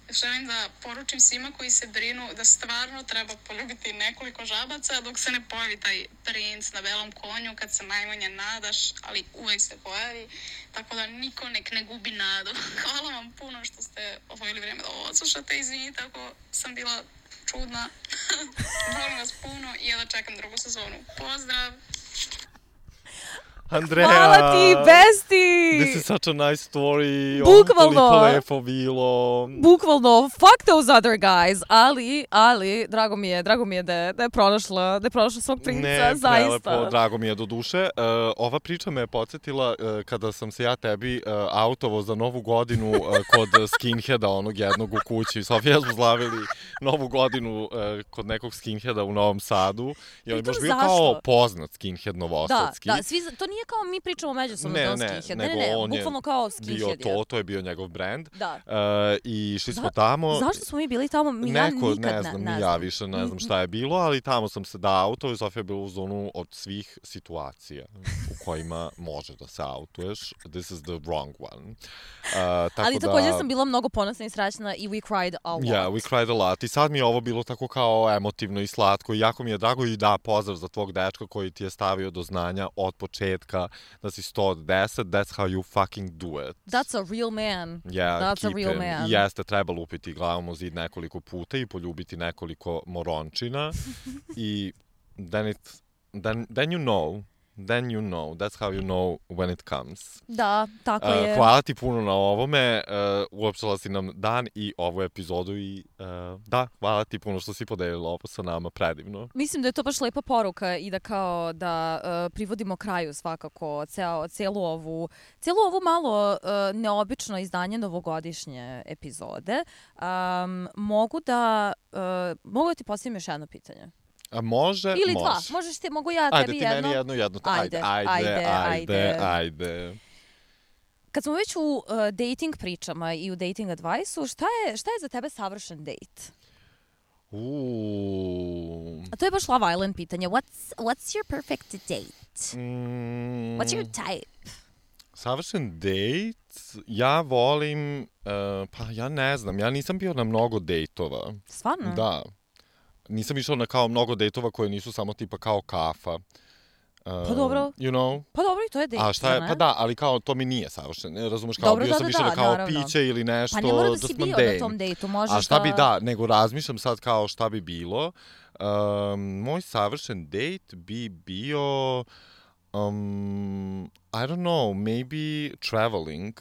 želim da poručim svima koji se brinu da stvarno treba poljubiti nekoliko žabaca dok se ne pojavi taj princ na belom konju kad se najmanje nadaš, ali uvek se pojavi, tako da niko nek ne gubi nadu. Hvala vam puno što ste odvojili vrijeme da ovo odslušate, izvinite ako sam bila čudna. Volim vas puno i ja da čekam drugu sezonu. Pozdrav! Andrea! Hvala ti, besti! This is such a nice story. Bukvalno. Toliko lepo bilo. Bukvalno, fuck those other guys, ali, ali, drago mi je, drago mi je da je, da je pronašla, da je pronašla svog princa, ne, zaista. Prelepo, drago mi je do duše. Uh, ova priča me je podsjetila uh, kada sam se ja tebi uh, autovo za novu godinu uh, kod skinheada, onog jednog u kući. Sofija smo slavili novu godinu uh, kod nekog skinheada u Novom Sadu. I on je baš bio kao poznat skinhead novosadski. Da, da, svi, to nije kao mi pričamo međusobno ne, kao ne, skinhead. nego Ne, ne, ne, on bukvalno kao skinhead. Bio to, to je bio njegov brand. Da. Uh, I šli smo Za, tamo. Zašto smo mi bili tamo? Mi Neko, ja nikad ne znam, ne, ne ni ja više ne znam šta je bilo, ali tamo sam se da auto i Sofija je bila u zonu od svih situacija u kojima može da se autuješ. This is the wrong one. Uh, tako ali da, također sam bila mnogo ponosna i srećna i we cried a lot. Yeah, we cried a lot. I sad mi je ovo bilo tako kao emotivno i slatko i jako mi je drago i da, pozdrav za tvog dečka koji ti je stavio do znanja od početka da si sto od deset. That's how you fucking do it. That's a real man. Yeah, That's keep a real him. man. I jeste, treba lupiti glavom u zid nekoliko puta i poljubiti nekoliko morončina. I then, it, then, then you know, then you know, that's how you know when it comes. Da, tako Uh, je. hvala ti puno na ovome, uh, uopštala si nam dan i ovu epizodu i uh, da, hvala ti puno što si podelila ovo sa nama, predivno. Mislim da je to baš lepa poruka i da kao da uh, privodimo kraju svakako ceo, cijelu ovu, cijelu ovu malo uh, neobično izdanje novogodišnje epizode. Um, mogu da, uh, mogu da ti postavim još jedno pitanje? A može, Ili može. dva, možeš ti, mogu ja Ajde, tebi ti jedno? meni jedno, jedno. Ajde, Ajde, ajde, ajde, ajde, ajde. ajde. Kad smo već u uh, dating pričama i u dating advice-u, šta je, šta je za tebe savršen date? Uuu. A to je baš Love Island pitanje. What's, what's your perfect date? Mm, What's your type? Savršen date, ja volim, uh, pa ja ne znam, ja nisam bio na mnogo dejtova. Stvarno? Da. Nisam išao na kao mnogo dejtova koje nisu samo tipa kao kafa. Uh, Pa dobro. You know? Pa dobro, i to je date, A šta je, ne? pa da, ali kao to mi nije savršeno. Razumeš, kao Dobro, bio da, sam da, više da, na kao naravno. piće ili nešto. Pa ne mora da just si bio mundane. na tom dejtu, možeš A šta da... bi, da, nego razmišljam sad kao šta bi bilo. Um, moj savršen date bi bio, um, I don't know, maybe traveling.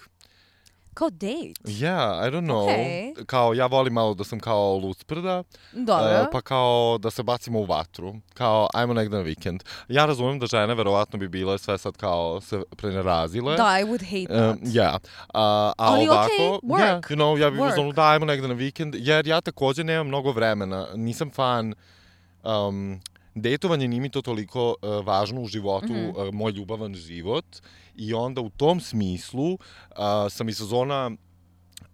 Kao date? Yeah, I don't know. Okay. Kao, ja volim malo da sam kao lucprda. Dobro. Uh, pa kao da se bacimo u vatru. Kao, ajmo negde na vikend. Ja razumem da žene verovatno bi bile sve sad kao se prenerazile. Da, I would hate that. Um, yeah. Uh, a Ali ovako, okay, work. Yeah, you know, ja bih Work. uzmano da ajmo negde na vikend, jer ja takođe nemam mnogo vremena. Nisam fan... Um, Dejtovanje nije mi to toliko uh, važno u životu, mm-hmm. uh, moj ljubavan život. I onda u tom smislu uh, sam iz sezona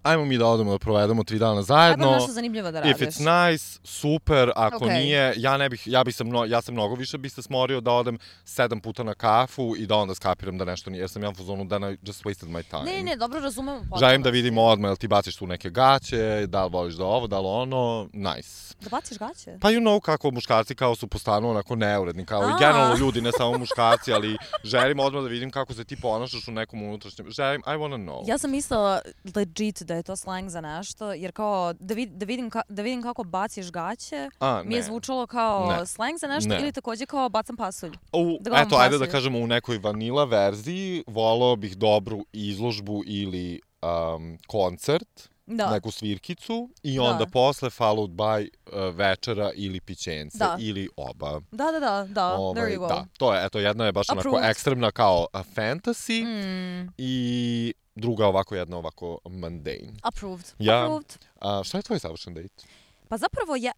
ajmo mi da odemo da provedemo tri dana zajedno. Ajmo nešto zanimljivo da radiš. If it's nice, super, ako okay. nije, ja ne bih, ja bih se, mno, ja sam mnogo više bi se smorio da odem sedam puta na kafu i da onda skapiram da nešto nije, jer sam ja u fazonu da I just wasted my time. Ne, ne, dobro razumem. Želim da vidim odmah, jel ti baciš tu neke gaće, da li voliš da ovo, da li ono, nice. Da baciš gaće? Pa you know kako muškarci kao su po stanu onako neuredni, kao A. i generalno ljudi, ne samo muškarci, ali želim odmah da vidim kako se ti ponašaš u nekom unutrašnjem, želim, I wanna know. Ja sam mislila legit da je to slang za nešto, jer kao da, vid, da, vidim, ka, da vidim kako baciš gaće, A, mi je zvučalo kao ne. slang za nešto ne. ili takođe kao bacam pasulj. U, da eto, ajde pasulj. da kažemo u nekoj vanila verziji, volao bih dobru izložbu ili um, koncert, da. neku svirkicu i onda da. posle followed by uh, večera ili pićence da. ili oba. Da, da, da, da, ovaj, there you go. Da, to je, eto, jedna je baš Approved. onako ekstremna kao uh, fantasy mm. i druga ovako jedna ovako mundane. Approved. Ja, Approved. A, šta je tvoj savršen date? Pa zapravo ja...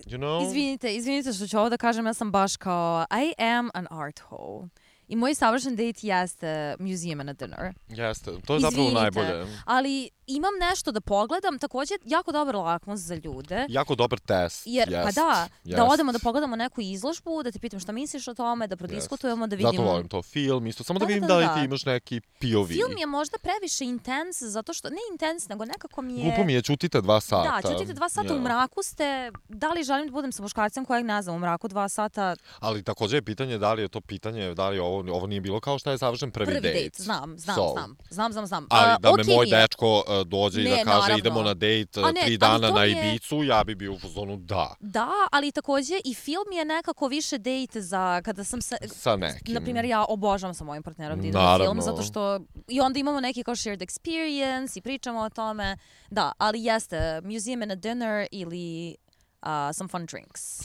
You know? Izvinite, izvinite što ću ovo da kažem, ja sam baš kao I am an art hoe. I moj savršen date jeste museum and a dinner. Jeste, to je zapravo Izvinite, najbolje. ali imam nešto da pogledam, takođe jako dobar lakmus za ljude. Jako dobar test, Jer, jest, pa da, jest. da odemo da pogledamo neku izložbu, da te pitam šta misliš o tome, da prodiskutujemo, da vidimo... Zato volim to film, isto, samo da, da vidim da, da, da, li da. ti imaš neki P O V. Film je možda previše intens, zato što, ne intens, nego nekako mi je... Glupo mi je, čutite dva sata. Da, čutite dva sata, yeah. u mraku ste, da li želim da budem sa muškarcem kojeg ne znam, u mraku dva sata... Ali takođe je pitanje da li je to pitanje, da li ovo, ovo nije bilo kao šta je savršen prvi, prvi date. date. Znam, znam, so. znam, znam, znam, znam. Ali da uh, me okay moj mi je. dečko uh, dođe ne, i da kaže naravno. idemo na date A ne, tri ali dana to na mi je- Ibicu, ja bi bio u fazonu da. Da, ali takođe i film je nekako više date za kada sam se... Sa nekim. Naprimjer, ja obožavam sa mojim partnerom da idem na Naravno. film, zato što... I onda imamo neki kao shared experience i pričamo o tome. Da, ali jeste, museum and a dinner ili uh, some fun drinks.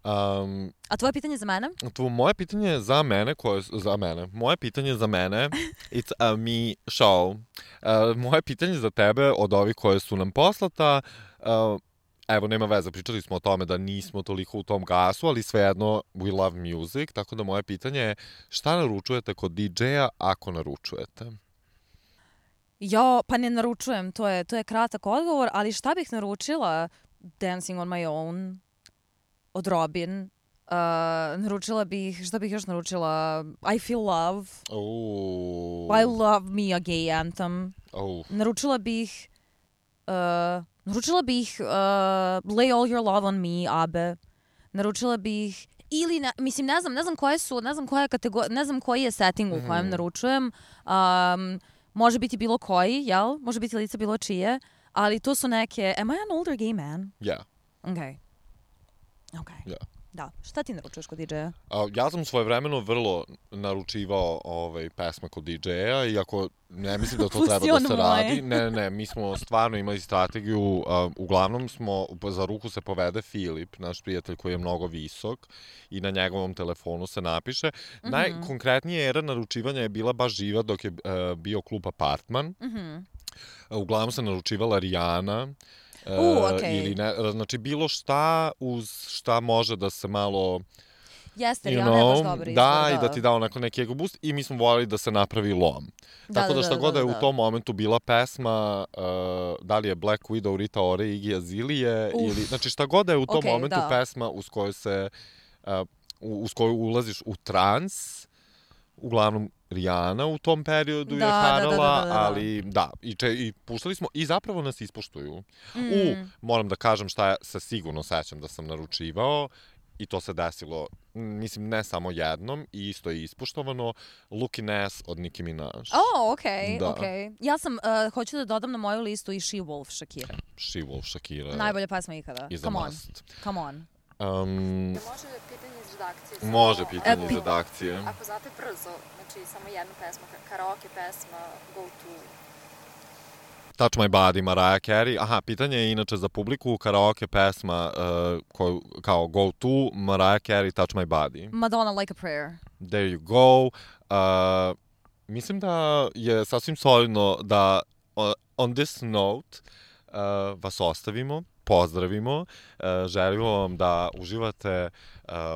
Um, A tvoje pitanje za mene? To moje pitanje za mene, koje za mene. Moje pitanje za mene, it's a me show. Uh, moje pitanje za tebe od ovih koje su nam poslata, uh, evo, nema veze, pričali smo o tome da nismo toliko u tom gasu, ali svejedno we love music, tako da moje pitanje je šta naručujete kod D J-a ako naručujete? Jo, pa ne naručujem, to je, to je kratak odgovor, ali šta bih naručila? Dancing on my own od Robin. Uh, naručila bih, šta bih još naručila? I Feel Love. Oh. I Love Me, a gay anthem. Oh. Naručila bih uh, naručila bih uh, Lay All Your Love on Me, Abe. Naručila bih ili ne, mislim ne znam, ne znam koje su, ne znam koja kategorija, ne znam koji je setting u kojem Mhm. naručujem. Um, može biti bilo koji, jel? Može biti lice bilo čije, ali to su neke, am I an older gay man? Yeah. Okay. Okay. Yeah. Da. Šta ti naručuješ kod D J-a? A, ja sam svojevremeno vrlo naručivao ovaj, pesme kod D J-a, iako ne mislim da to Pusti treba da ono se moje. radi. Ne, ne, ne, mi smo stvarno imali strategiju, a, uglavnom smo, za ruku se povede Filip, naš prijatelj koji je mnogo visok i na njegovom telefonu se napiše. Mhm. Najkonkretnije era naručivanja je bila baš živa dok je a, bio klub Apartman. Mhm. A, uglavnom se naručivala Rijana. U, e, okej. Ili ne, znači bilo šta uz šta može da se malo Jeste, you Rihanna je baš know, dobar izbor, da, i da ti da onako neki ego boost i mi smo voljeli da se napravi lom. Da, Tako da, da, šta da, god da, je da. u tom momentu bila pesma, uh, da li je Black Widow, Rita Ora, Iggy Azalea, ili, znači šta god je u tom Okej, momentu da. pesma uz koju se, uh, u- uz koju ulaziš u trans, uglavnom Rihanna u tom periodu Da, je da, da, harala, da, da, da. ali da, i, če, i puštali smo i zapravo nas ispoštuju. Mm. U, moram da kažem šta ja se sigurno sećam da sam naručivao i to se desilo, m, mislim, ne samo jednom i isto je ispoštovano, Looking Ass od Nicki Minaj. Oh, okej, Da. okej. Ja sam, uh, hoću da dodam na moju listu i She Wolf Shakira. She Wolf, Shakira. Najbolja pesma ikada. is a Come on, must. come on. Um, Može pitanje iz redakcije? Samo, može pitanje E, iz pi- redakcije. Ako znate brzo, znači samo jednu pesmu, ka- karaoke pesma, go to Touch My Body, Mariah Carey. Aha, pitanje je inače za publiku, karaoke pesma uh, koju, kao go to, Mariah Carey, Touch My Body. Madonna, Like a Prayer. There you go. Uh, mislim da je sasvim solidno da uh, on this note uh, vas ostavimo, pozdravimo, uh, želimo vam da uživate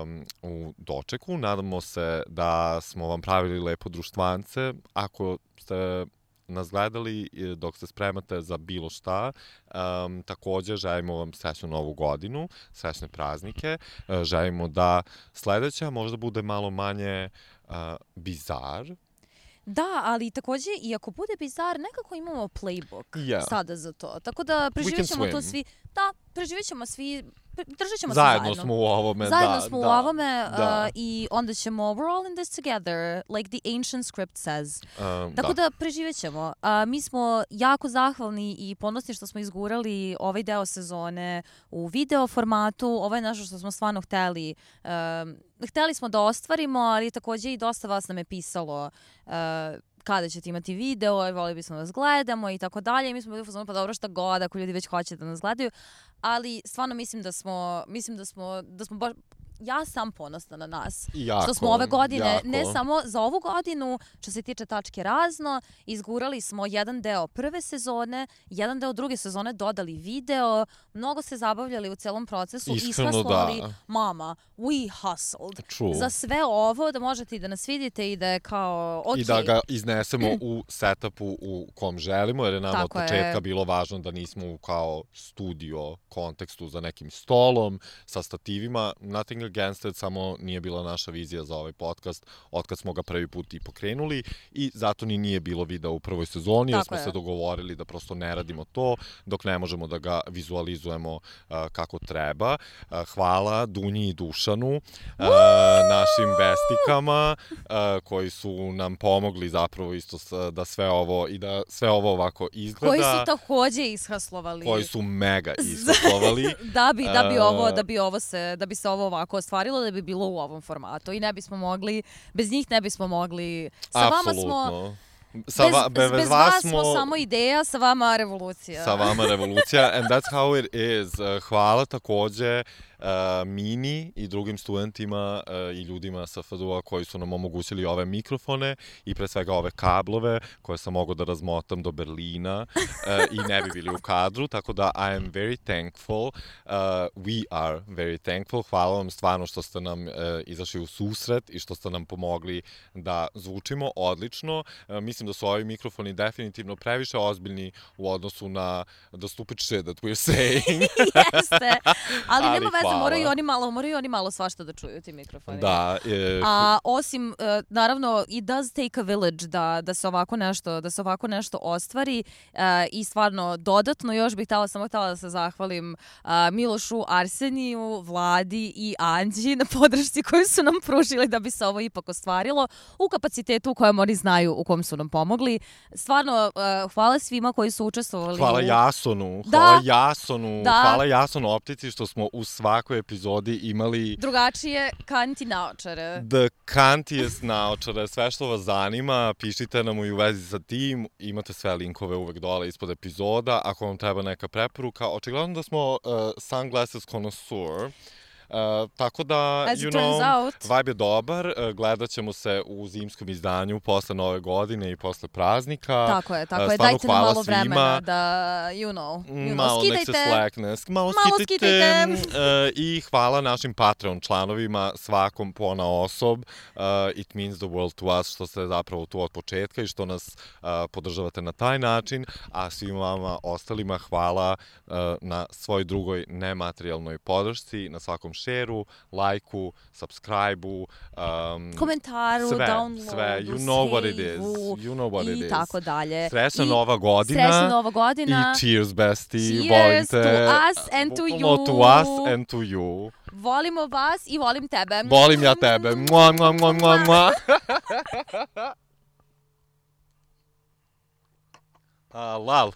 um, u dočeku. Nadamo se da smo vam pravili lepo društvance. Ako ste nas gledali dok se spremate za bilo šta. Um, takođe, želimo vam srećnu novu godinu, srećne praznike. Uh, želimo da sledeća možda bude malo manje uh, bizar. Da, ali takođe, i ako bude bizar, nekako imamo playbook yeah. sada za to. Tako da preživjet ćemo to svi. Da, preživjet ćemo svi, držat ćemo se zajedno. Zajedno smo u ovome, zajedno da. smo da, u ovome da. Uh, i onda ćemo, we're all in this together, like the ancient script says. Um, Tako da, da preživjet ćemo. Uh, mi smo jako zahvalni i ponosni što smo izgurali ovaj deo sezone u video formatu. Ovo je nešto što smo stvarno hteli. Uh, hteli smo da ostvarimo, ali takođe i dosta vas nam je pisalo uh, kada ćete imati video, i volili bismo da vas gledamo i tako dalje. I mi smo bili u fazonu, pa dobro, šta god, ako ljudi već hoće da nas gledaju. Ali stvarno mislim da smo, mislim da smo, da smo baš, ja sam ponosna na nas. Jako, što smo ove godine, jako. ne samo za ovu godinu, što se tiče tačke razno, izgurali smo jedan deo prve sezone, jedan deo druge sezone, dodali video, mnogo se zabavljali u celom procesu. Iskreno ishaslovali, da. Mama, we hustled. True. Za sve ovo, da možete i da nas vidite i da je kao, ok. I da ga iznesemo u setupu u kom želimo, jer je nama Tako od početka je. bilo važno da nismo u kao studio kontekstu za nekim stolom, sa stativima, nothing against it, samo nije bila naša vizija za ovaj podcast otkad smo ga prvi put i pokrenuli i zato ni nije bilo videa u prvoj sezoni, jer Tako smo je. se dogovorili da prosto ne radimo to dok ne možemo da ga vizualizujemo uh, kako treba. Uh, hvala Dunji i Dušanu, uh, našim bestikama uh, koji su nam pomogli zapravo isto s, da sve ovo i da sve ovo ovako izgleda. Koji su takođe ishaslovali. Koji su mega ishaslovali. da bi da bi Uh, ovo da bi ovo se da bi se ovo ovako ostvarilo, da bi bilo u ovom formatu i ne bismo mogli bez njih ne bismo mogli. Sa vama smo Sa va, bez, bez, bez vas vas smo samo ideja, sa vama revolucija. Sa vama revolucija, and that's how it is. Uh, hvala takođe uh, Mini i drugim studentima uh, i ljudima sa F D U-a koji su nam omogućili ove mikrofone i pre svega ove kablove koje sam mogao da razmotam do Berlina uh, i ne bi bili u kadru, tako da I am very thankful. Uh, we are very thankful. Hvala vam stvarno što ste nam uh, izašli u susret i što ste nam pomogli da zvučimo odlično. Uh, mislim da su ovi mikrofoni definitivno previše ozbiljni u odnosu na the stupid shit that we're saying. Jeste, ali, Ali nema veze, hvala. moraju oni malo, moraju oni malo svašta da čuju ti mikrofoni. Da. Je, A osim, uh, naravno, it does take a village da, da se ovako nešto, da se ovako nešto ostvari uh, i stvarno dodatno još bih htjela, samo htjela da se zahvalim uh, Milošu, Arseniju, Vladi i Anđi na podršci koju su nam pružili da bi se ovo ipak ostvarilo u kapacitetu u kojem oni znaju u kom su nam pomogli. Stvarno, uh, hvala svima koji su učestvovali. Hvala u... Jasonu, Da. hvala Jasonu, Da. hvala Jasonu Optici što smo u svakoj epizodi imali drugačije kanti naočare. the kantiest naočare, sve što vas zanima, pišite nam i u vezi sa tim, imate sve linkove uvek dole ispod epizoda, ako vam treba neka preporuka, očigledno da smo uh, sunglasses connoisseur. Uh, tako da, As you it turns know, out. vibe je dobar, uh, gledat ćemo se u zimskom izdanju posle nove godine i posle praznika. Tako je, tako Uh, je, stvarno dajte nam hvala malo svima. vremena da, you know, you know Malo nek se skidajte. slackness, malo, Malo skidajte. skidajte. Uh, I hvala našim Patreon članovima, svakom pona osob. Uh, it means the world to us što ste zapravo tu od početka i što nas uh, podržavate na taj način, a svima vama ostalima hvala uh, na svoj drugoj nematerijalnoj podršci, na svakom šeru, lajku, subscribe-u, um, Komentaru, sve, downloadu, sve, you know what it is, save-u you know what it is. i tako dalje. Srećna I nova godina. Srećna nova godina. I cheers, bestie. Cheers Volim te. to us and to Bukvalno you. to us and to you. Volimo vas i volim tebe. Volim ja tebe. Mua, mua, mua, mua, mua. uh, lal.